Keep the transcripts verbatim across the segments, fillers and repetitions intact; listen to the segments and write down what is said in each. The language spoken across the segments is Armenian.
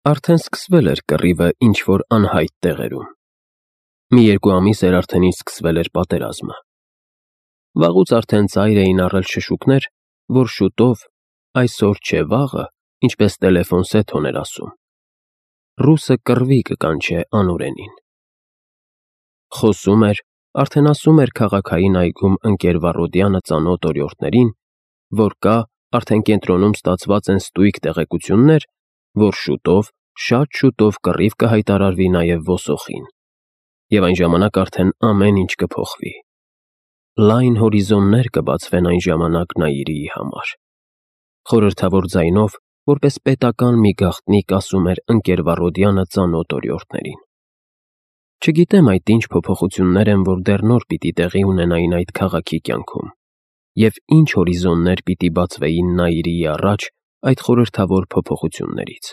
Արդեն սկսվել էր կռիվը ինչ-որ անհայտ տեղերում։ Մի երկու ամիս էր արդեն ինչ սկսվել էր պատերազմը։ Վաղուց արդեն ծայր էին առել շշուկներ, որ շուտով, այսօր չէ վաղը, ինչպես տելեֆոն Սեթոն էր ասում, ռուսը կռվի կկանչե անօրենին։ Խոսում էր, արդեն ասում էր քաղաքային այգում ընկեր Վառոդյանը ծանոթ օրիորդներին, որ կա, արդեն կենտրոնում ստացված են ստույգ տեղեկություններ, որ շուտով, շատ շուտով կռիվ կհայտարարվի նաև Վոսոխին, և այն ժամանակ արդեն ամեն ինչ կփոխվի։ Լայն հորիզոններ կբացվեն այն ժամանակ Նաիրիի համար։ Խորհրդավոր ձայնով, որպես պետական մի գաղտնիք ասում էր ընկեր Վառոդյանը ծանոթ օրիորդներին։ Չգիտեմ այդ ինչ փոփոխություններ են, որ դեռ նոր պիտի տեղի ունենային այդ քաղաքի կյանքում, և ինչ հորիզոններ պիտի բացվեին Նաիրիի առաջ այդ խորհրդավոր փոփոխություններից։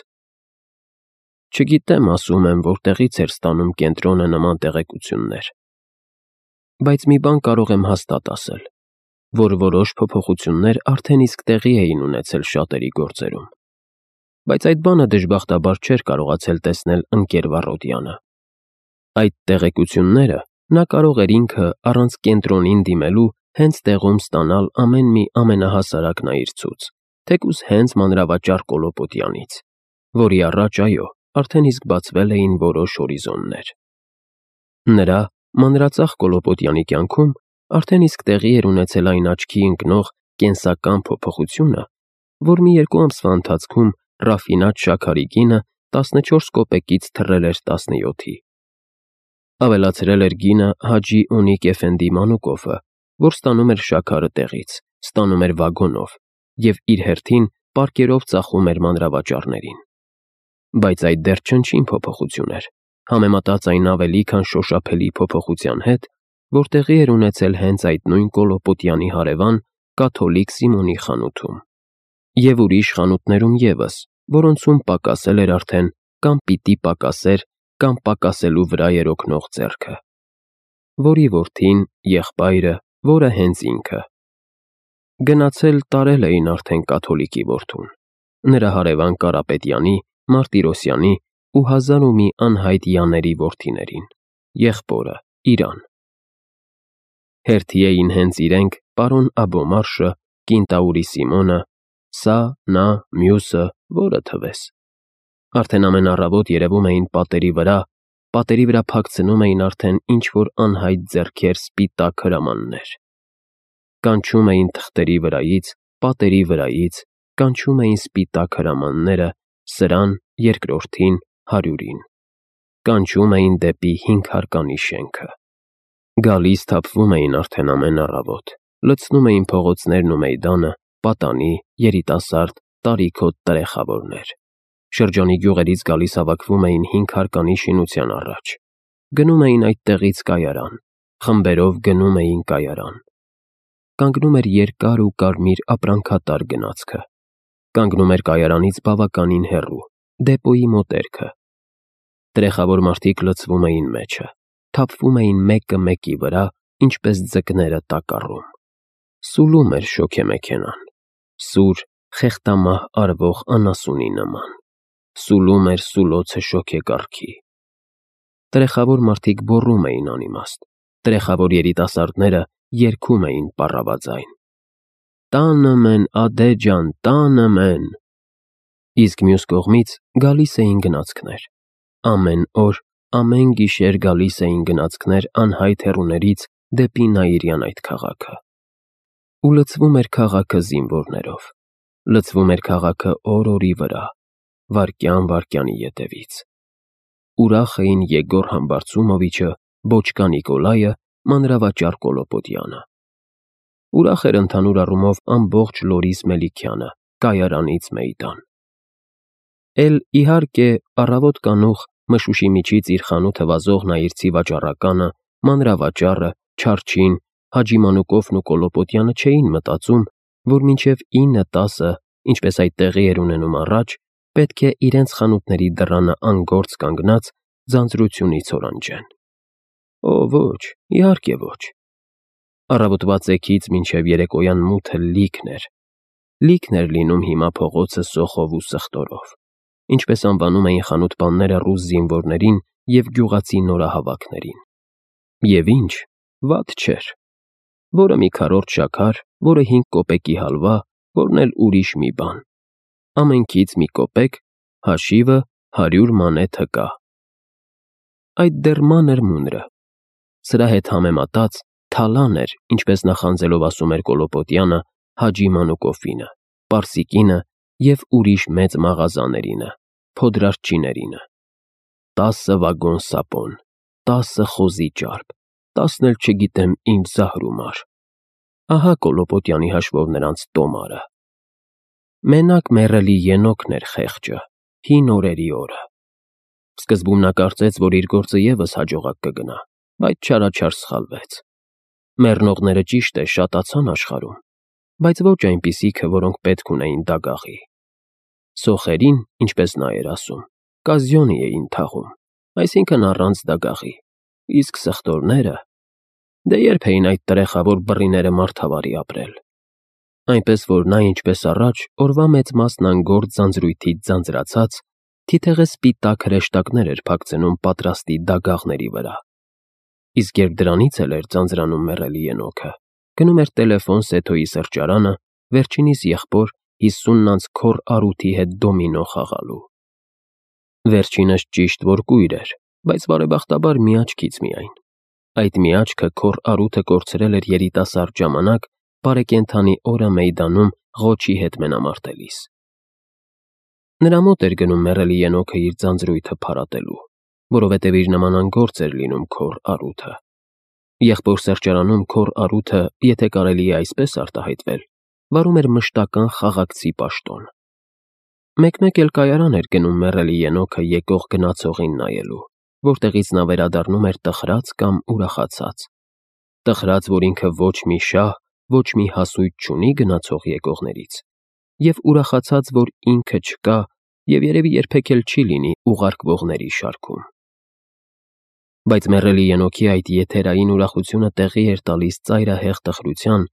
Չգիտեմ, ասում եմ, որտեղից էր ստանում կենտրոնը նման տեղեկություններ, բայց մի բան կարող եմ հաստատ ասել, որ որոշ փոփոխություններ արդեն իսկ տեղի էին ունեցել շատերի գործերում, բայց այդ բանը դժբախտաբար չէր կարողացել տեսնել ընկեր Վառոդյանը։ Այդ տեղեկությունները նա կարող էր ինքը առանց կենտրոնին դիմելու հենց տեղում ստանալ ամեն մի ամենահասարակ նայիրցուց, թեկուզ հենց մանրավաճառ Կոլոպոտյանից, որի առաջ, այո, արդեն իսկ բացվել էին որոշ հորիզոններ։ Նրա մանրածախ Կոլոպոտյանի կյանքում արդեն իսկ տեղի էր ունեցել այն աչքի ընկնող կենսական փոփոխությունը, որ մի երկու ամսվա ընթացքում ռաֆինատ շաքարի գինը տասնչորս կոպեկից թռել էր տասնյոթի։ Ավելացրել էր գինը Հաջի Օնիկ Էֆենդի Մանուկովը, որ ստանում էր շաքարը տեղից, ստանում էր վագոնով և իր հերթին պարկերով ծախում էր մանրավաճառներին։ Բայց այդ դեռ չնչին փոփոխություն էր, համեմատած այն ավելի քան շոշափելի փոփոխության հետ, որ տեղի էր ունեցել հենց այդ նույն Կոլոպոտյանի հարևան կաթոլիկ Սիմոնի խանութում և ուրիշ խանութներում ևս, որոնցում պակասել էր արդեն կամ պիտի պակասեր կամ պակասելու վրա էր օգնող ձեռքը, որի որդին, եղբայրը, որը հենց ինքը։ Գնացել տարել էին արդեն կաթոլիկի որդուն, նրա հարևան Կարապետյանի, Մարտիրոսյանի ու հազար ու մի անհայտ Յանների որդիներին, եղբորը Իրան։ Հերթի էին հենց իրենք պարոն Աբոմարշը, կինտաուրի Սիմոնը, սա, նա, մյուսը, որը թվես։ Արդեն ամեն առավոտ երևում էին պատերի վրա, պատերի վրա փակցնում էին արդեն ինչ-որ անհայտ ձեռքեր սպիտակ հրամաններ։ Կանչում էին թղթերի վրայից, պատերի վրայից, կանչում էին սպիտակ հրամանները սրան, երկրորդին, հարյուրին։ Կանչում էին դեպի հինգ հարկանի շենքը։ Գալիս թափվում էին արդեն ամեն առավոտ, լցնում էին փողոցներն ու մեյդանը, պատանի, երիտասարդ, տարիքոտ տրեխավորներ։ Շրջանի գյուղերից գալիս հավաքվում էին հինգ հարկանի շինության առաջ։ Գնում էին այդտեղից կայարան, խմբերով գնում էին կայարան։ Կանգնում էր երկար ու կարմիր ապրանքատար գնացքը։ Կանգնում էր կայարանից բավականին հեռու, դեպոյի մոտերքը։ Տրեխավոր մարդիկ լցվում էին մեջը, թափվում էին մեկը մեկի վրա, ինչպես ձկները տակառում։ Սուլում էր շոգեմեքենան, սուր, խեղդամահ արվող անասունի նման։ Սուլում էր սուլոցը շոգեկառքի։ Տրեխավոր մարդիկ գոռում էին անիմաստ, տրեխավոր երիտասարդները երգում էին պառավաձայն. «Տանը մեն, ադե ջան, տանը մեն»։ Իսկ մյուս կողմից գալիս էին գնացքներ։ Ամեն օր, ամեն գիշեր գալիս էին գնացքներ անհայտ հեռուներից դեպի Նաիրյան այդ քաղաքը։ Ու լցվում էր քաղաքը զինվորներով, լցվում էր քաղաքը օր֊օրի վրա, վայրկյան֊վայրկյանի ետևից։ Ուրախ էին Եգոր Համբարձումովիչը, Բոչկա Նիկոլայը, մանրավաճառ Կոլոպոտյանը։ Ուրախ էր ընդհանուր առումով ամբողջ Լորիս Մելիքյանը, կայարանից մեյդան։ Էլ, իհարկե, առավոտ կանուխ մշուշի միջից իր խանութը վազող նայիրցի վաճառականը, մանրավաճառը, Չարչին, Հաջի Մանուկովն ու Կոլոպոտյանը չէին մտածում, որ մինչև ինը տասը, ինչպես այդ տեղի էր ունենում առաջ, պետք է իրենց խանութների դռանը անգործ կանգնած ձանձրությունից օրանջեն։ Օ, ոչ, իհարկե ոչ։ Առավոտվա ծեքից մինչև երեկոյան մութը լիքն էր։ Լիքն էր լինում հիմա փողոցը սոխով ու սխտորով։ ինչպես անվանում էին խանութ-պանները ռուս զինվորներին և գյուղացի նորահավաքներին։ Եվ ինչ, վատ չէր։ Որը մի քառորդ շաքար, որը հինգ կոպեկի հալվա, որն էլ ուրիշ մի բան։ Ամենքից մի կոպեկ, հաշիվը հարյուր մանե թկա։ Այդ դեռ մանր մունրը։ Սրա հետ համեմատած թալան էր, ինչպես նախանձելով ասում էր Կոլոպոտյանը, Հաջի Մանուկովինը, Պարսիկինը և ուրիշ մեծ մաղազաներինը, փոդրարջիներինը։ Տասը վագոն սապոն, տասը խոզի ճարպ, տասն էլ չգիտեմ ինչ զահրումար։ Ահա Կոլոպոտյանի հաշվով նրանց տոմարը։ Մենակ մեռելի Ենոքն էր խեղճը, հին օրերի օրը։ Սկզբում նա կարծեց, որ իր գործը ևս հաջողակ կգնա, բայց չարաչար սխալվեց։ Մեռնողները ճիշտ է շատացան աշխարհում, բայց ոչ այնպիսիքը, որոնք պետք ունեին դագաղի։ Սոխերին, ինչպես նա էր ասում, կազյոնի էին թաղում, այսինքն առանց դագաղի, իսկ սխտորները… Դե երբ էին այդ տրեխավոր բռիները մարդավարի ապրել։ Այնպես որ նա, ինչպես առաջ, օրվա մեծ մասն անգործ ձանձրույթից ձանձրացած, թիթեղե սպիտակ հրեշտակներ էր փակցնում պատրաստի դագաղների վրա։ Իսկ երբ դրանից էլ էր ձանձրանում մեռելի Ենոքը, գնում էր տելեֆոն Սեթոյի սրճարանը, վերջինիս եղբոր հիսունն անց քոռ առուտի հետ դոմինո խաղալու։ Վերջինս ճիշտ որ կույր էր, բայց բարեբախտաբար մի աչքից միայն։ Այդ մի աչքը քոռ առուտը կորցրել էր երիտասարդ ժամանակ բարեկենդանի օրը մեյդանում Ղոչի հետ մենամարտելիս։ Նրա մոտ էր գնում մեռելի Ենոքը իր ձանձրույթը փարատելու, որովհետև իր նման անգործ էր լինում քոռ առուտը։ Եղբոր սրճարանում քոռ առուտը, եթե կարելի է այսպես արտահայտվել, վարում էր մշտական խաղաղցի պաշտոն։ Մեկ-մեկ էլ կայարան էր գնում մեռելի Ենոքը եկող գնացողին նայելու, որտեղից նա վերադառնում էր տխրած կամ ուրախացած։ Տխրած, որ ինքը ոչ մի շահ, ոչ մի հասույթ չունի գնացող եկողներից, և ուրախացած, որ ինքը չկա և երևի երբեք էլ չի լինի ուղարկվողների շարքում։ Բայց մեռելի Ենոքի այդ եթերային ուրախությունը տեղի էր տալիս ծայրահեղ տխրության,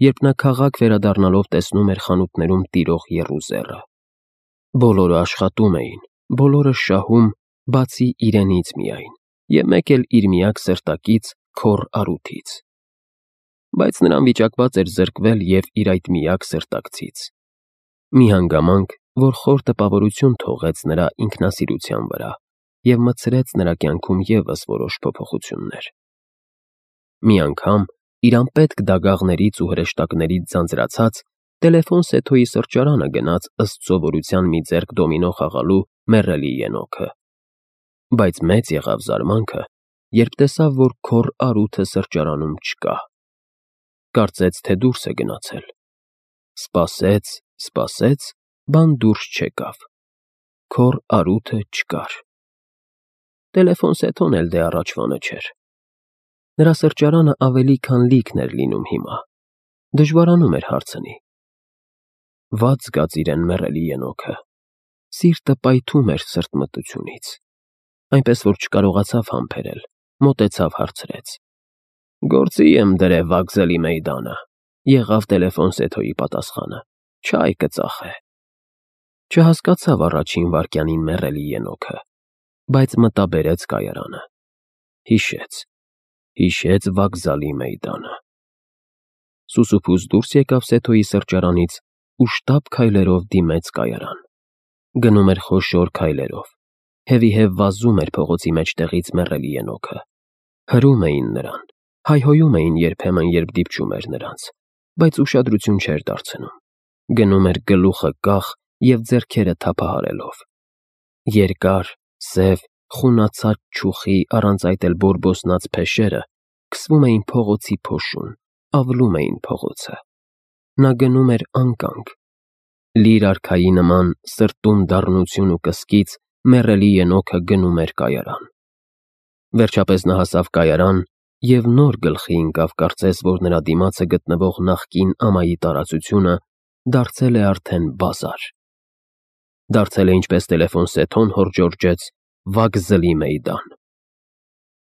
երբ նա քաղաք վերադառնալով տեսնում էր խանութներում տիրող եռուզեռը։ Բոլորը աշխատում էին, բոլորը շահում, բացի իրենից միայն, և մեկ էլ իր միակ սրտակից քոռ առուտից։ Բայց նրան վիճակված էր զրկվել և իր այդ միակ սրտակցից։ Մի հանգամանք, որ խոր տպավորություն թողեց նրա ինքնասիրության վրա և մտցրեց նրա կյանքում ևս որոշ փոփոխություններ։ Մի անգամ, իր անպետք դագաղներից ու հրեշտակներից ձանձրացած, տելեֆոն Սեթոյի սրճարանը գնաց ըստ սովորության մի ձեռք դոմինո խաղալու մեռելի Ենոքը։ Բայց մեծ եղավ զարմանքը, երբ տեսավ, որ քոռ առուտը սրճարանում չկա։ Կարծեց, թե դուրս է գնացել։ Սպասեց, սպասեց, բան դուրս չեկավ։ Քոռ առուտը չկար։ Տելեֆոն Սեթոն էլ դե առաջվանը չէր։ Նրա սրճարանը ավելի քան լիքն էր լինում հիմա։ Դժվարանում էր հարցնի։ Վատ զգաց իրեն մեռելի Ենոքը։ Սիրտը պայթում էր սրտմտությունից։ Այնպես որ չկարողացավ համբերել, մոտեցավ հարցրեց. Գործի եմ դրե վագզելի մեյդանը, եղավ տելեֆոն Սեթոյի պատասխանը, չայ կծախե։ Չհասկացավ առաջին վայրկյանին մեռելի Ենոքը, բայց մտաբերեց կայարանը։ Հիշեց, հիշեց վագզալի մեյդանը։ Սուսուփուս դուրս եկավ Սեթոյի սրճարանից ու շտապ քայլերով դիմեց կայարան։ Գնում էր խոշոր քայլերով, հևիհև վազում էր փողոցի մեջտեղից մեռելի Ենոքը։ Հրում էին նրան, հայհոյում էին երբեմն, երբ դիպչում էր նրանց, բայց ուշադրություն չէր դարձնում։ Գնում էր գլուխը կախ և ձեռքերը թափահարելով։ Երկար, սև, խունացած չուխի, առանց այդ էլ բորբոսնած փեշերը քսվում էին փողոցի փոշուն, ավլում էին փողոցը։ Նա գնում էր անկանգ։ Լիր արքայի նման սրտում դառնություն ու կսկիծ մեռելի Ենոքը գնում էր կայարան։ Վերջապես նա հասավ կայարան և նոր գլխի ընկավ, կարծես, որ նրա դիմացը գտնվող նախկին ամայի տարածությունը դարձել է արդեն բազար։ Դարձել է, ինչպես տելեֆոն Սեթոն հորդժորջեց, վագզլի մեյդան։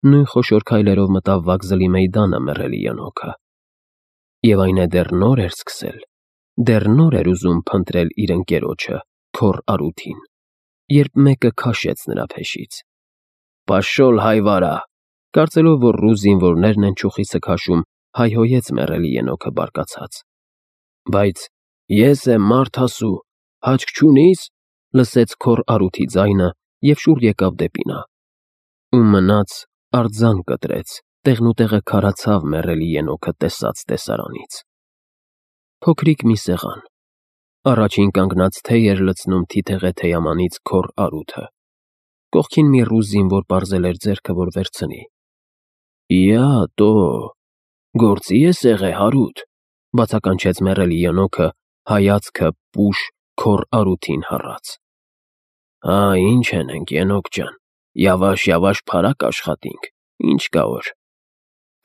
Նույն խոշոր քայլերով մտավ վագզլի մեյդանը մեռելի Ենոքը։ Եվ այն է դեռ նոր էր սկսել, դեռ նոր էր ուզում փնտրել իր ընկերոջը, քոռ առուտին։ երբ մեկը քաշեց նրա փեշից։ «Պաշոլ հայվարա», կարծելով, որ ռուս զինվորներն են ճյուղիցը քաշում, հայհոյեց մեռելի ենոքը բարկացած։ «Բայց ես եմ մարդ ասու, հաճք չունի՞ս», լսեց քոռ առուտի ձայնը և շուռ եկավ դեպի նա։ Ու մնաց, արձան կտրեց, տեղնուտեղը քարացավ մեռելի ենոքը տեսած տեսարանից։ Փոքրիկ մի սեղան։ Առաջին կանգնած թեյ էր լցնում թիթեղե թեյամանից քոռ առուտը։ Կողքին մի ռուս զինվոր պարզել էր ձեռքը, որ վերցնի։ «Իա, տո, գործի՞ ես եղե, հարութ», բացականչեց մեռելի ենոքը, հայացքը պուշ քոռ առուտին հառած։ «Հա, ինչ ենենք, ենոք ջան, յավաշ֊յավաշ փարակ աշխատինք, ինչ կա որ»,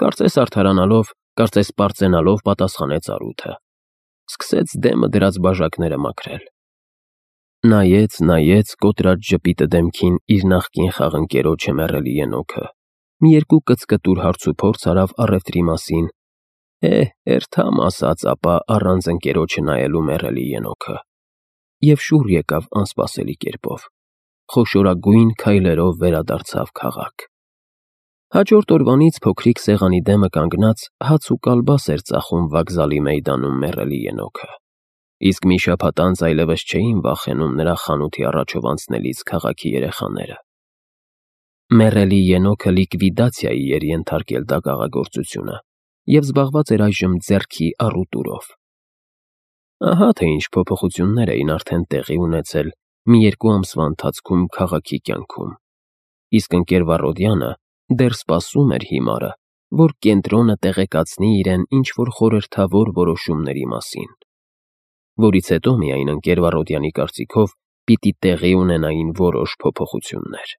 կարծես արդարանալով, կարծես պարծենալով պատասխանեց առուտը։ Սկսեց դեմը դրած բաժակները մաքրել։ Նայեց, նայեց կոտրած ժպիտը դեմքին իր նախկին խաղընկերոջը մեռելի ենոքը, մի երկու կծկտուր հարցուփորձ արավ առևտրի մասին, է, էրթամ ասաց ապա առանց ընկերոջը նայելու մեռելի ենոքը, և շուռ եկավ անսպասելի կերպով, խոշորագույն քայլերով վերադարձավ քաղաք։ Հաջորդ օրվանից փոքրիկ սեղանի դեմը կանգնած հաց ու կալբաս էր ծախում վокзալի մեյդանում մեռելի ենոքը, իսկ մի շաբաթ անց այլևս չէին վախենում նրա խանութի առաջով անցնելիս քաղաքի երեխաները։ Մեռելի ենոքը լիկվիդացիայի էր ենթարկել դագաղագործությունը և զբաղված էր այժմ ձեռքի առուտուրով։ Ահա թե ինչ փոփոխություններ էին արդեն տեղի ունեցել մի երկու ամսվա ընթացքում քաղաքի կյանքում, իսկ ընկեր Վառոդյանը դեռ սպասում էր հիմարը, որ կենտրոնը տեղեկացնի իրեն ինչ-որ խորհրդավոր որոշումների մասին, որից հետո միայն ընկեր Վառոդյանի կարծիքով պիտի տեղի ունենային որոշ փոփոխություններ։